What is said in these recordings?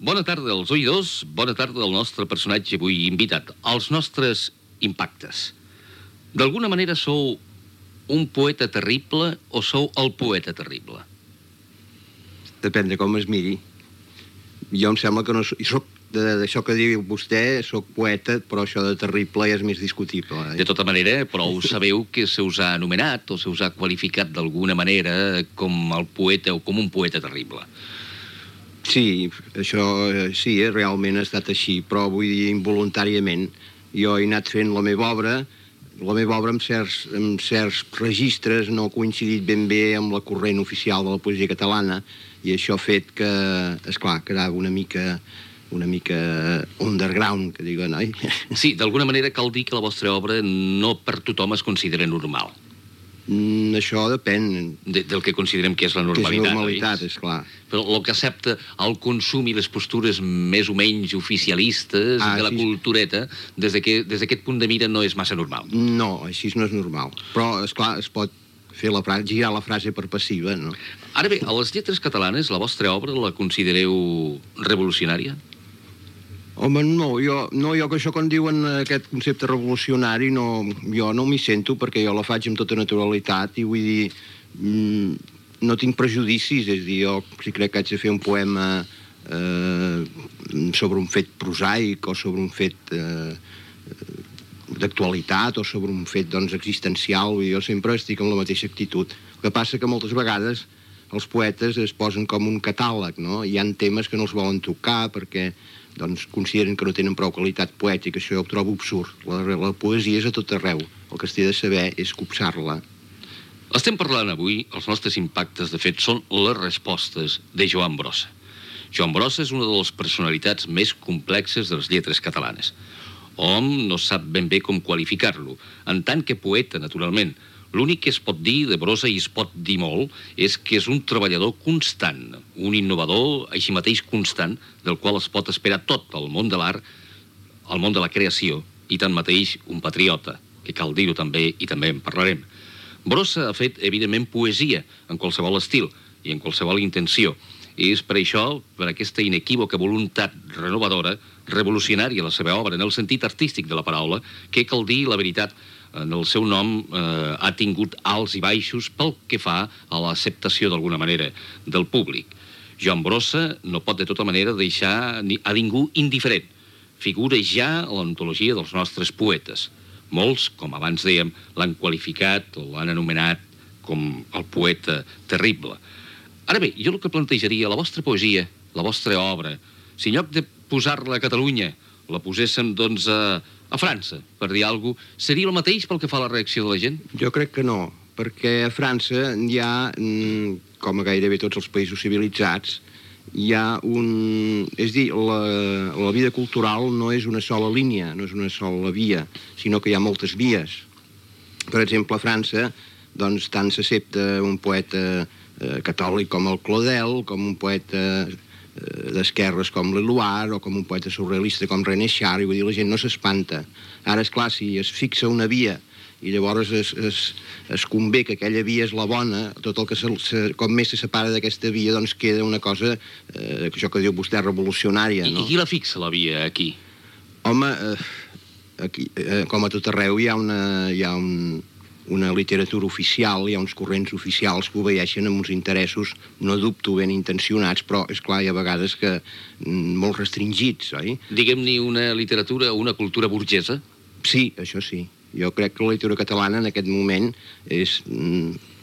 Bona tarda als oïdors, bona tarda al nostre personatge avui invitat. Els nostres impactes. D'alguna manera sou un poeta terrible o sou el poeta terrible? Depèn de com es miri. Jo em sembla que no soc d'això que diu vostè, soc poeta, però això de terrible ja és més discutible. De tota manera, però ho sabeu que se us ha anomenat o se us ha qualificat d'alguna manera com el poeta o com un poeta terrible. Sí, això sí, realment ha estat així, però vull dir involuntàriament. Jo he anat fent la meva obra amb certs registres no ha coincidit ben bé amb la corrent oficial de la poesia catalana, i això ha fet que, esclar, quedava una mica underground, que diuen, oi? Sí, d'alguna manera cal dir que la vostra obra no per tothom es considera normal. Això depèn del que considerem que és la normalitat. Que és normalitat, esclar. Però el que accepta el consum i les postures més o menys oficialistes de la cultureta, des d'aquest punt de mira no és massa normal. No, així no és normal. Però, esclar, es pot fer girar la frase per passiva, no? Ara bé, a les lletres catalanes, la vostra obra la considereu revolucionària? Home, no, jo que això quan diuen aquest concepte revolucionari, jo no m'hi sento perquè jo la faig amb tota naturalitat i vull dir, no tinc prejudicis, és a dir, jo si crec que haig de fer un poema sobre un fet prosaic o sobre un fet d'actualitat o sobre un fet, doncs, existencial, jo sempre estic amb la mateixa actitud. El que passa que moltes vegades els poetes es posen com un catàleg, no? Hi ha temes que no els volen tocar perquè doncs consideren que no tenen prou qualitat poètica. Això jo ho trobo absurd. La poesia és a tot arreu. El que es té de saber és copsar-la. Estem parlant avui, els nostres impactes, de fet, són les respostes de Joan Brossa. Joan Brossa és una de les personalitats més complexes de les lletres catalanes. Hom no sap ben bé com qualificar-lo. En tant que poeta, naturalment, l'únic que es pot dir de Brossa, i es pot dir molt, és que és un treballador constant, un innovador, així mateix constant, del qual es pot esperar tot el món de l'art, el món de la creació, i tanmateix un patriota, que cal dir-ho també, i també en parlarem. Brossa ha fet, evidentment, poesia, en qualsevol estil i en qualsevol intenció. I és per això, per aquesta inequívoca voluntat renovadora, revolucionària la seva obra, en el sentit artístic de la paraula, que cal dir la veritat, en el seu nom ha tingut alts i baixos pel que fa a l'acceptació d'alguna manera del públic. Joan Brossa no pot de tota manera deixar a ningú indiferent. Figura ja a l'antologia dels nostres poetes. Molts, com abans dèiem, l'han qualificat o l'han anomenat com el poeta terrible. Ara bé, jo el que plantejaria, la vostra poesia, la vostra obra, si en lloc de posar-la a Catalunya la poséssim, doncs, a França, per dir alguna cosa, seria el mateix pel que fa a la reacció de la gent? Jo crec que no, perquè a França hi ha, com a gairebé tots els països civilitzats, hi ha És a dir, la vida cultural no és una sola línia, no és una sola via, sinó que hi ha moltes vies. Per exemple, a França, doncs, tant s'accepta un poeta catòlic com el Claudel, com un poeta d'esquerres com l'Eluard o com un poeta surrealista com René Char, i vull dir, la gent no s'espanta. Ara, esclar, si es fixa una via i llavors es convé que aquella via és la bona, tot el que com més se separa d'aquesta via, doncs queda una cosa, això que diu vostè, revolucionària, no? I qui la fixa, la via, aquí? Home, aquí, com a tot arreu, hi ha una literatura oficial, hi ha uns corrents oficials que obeeixen amb uns interessos, no dubto, ben intencionats, però, esclar, hi ha vegades que molt restringits, oi? Diguem-ne una literatura, una cultura burgesa? Sí, això sí. Jo crec que la literatura catalana en aquest moment és,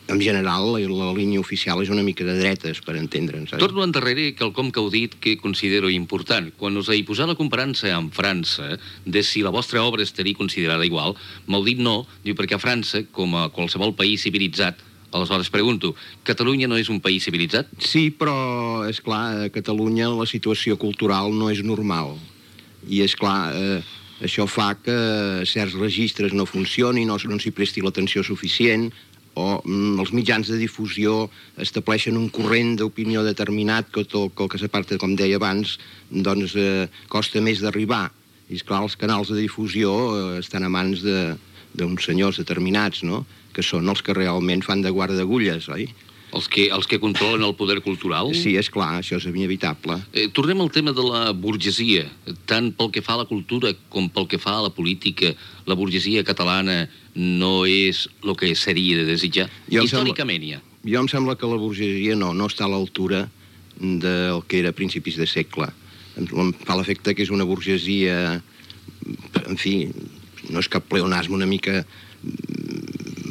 en general, la línia oficial és una mica de dretes, per entendre'ns. Torno endarrere quelcom que heu dit que considero important. Quan us he posat la comparança amb França, de si la vostra obra estaria considerada igual, m'heu dit no, diu perquè a França, com a qualsevol país civilitzat, aleshores pregunto, Catalunya no és un país civilitzat? Sí, però, esclar, a Catalunya la situació cultural no és normal. I, esclar, això fa que certs registres no funcionin o no s'hi presti l'atenció suficient, o els mitjans de difusió estableixen un corrent d'opinió determinat que tot el que s'aparta, com deia abans, doncs costa més d'arribar. I, esclar, els canals de difusió estan a mans d'uns senyors determinats, no?, que són els que realment fan de guarda d'agulles, oi? Els que controlen el poder cultural? Sí, és clar, això és inevitable. Tornem al tema de la burgesia. Tant pel que fa a la cultura com pel que fa a la política, la burgesia catalana no és el que seria de desitjar? Històricament, ja. Jo em sembla que la burgesia no està a l'altura del que era a principis de segle. Em fa l'efecte que és una burgesia, en fi, no és cap pleonasme, una mica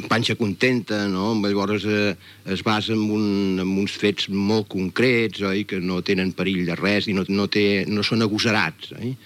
panxa contenta, no? Llavors es basa en uns fets molt concrets, oi? Que no tenen perill de res i no són agosarats, oi?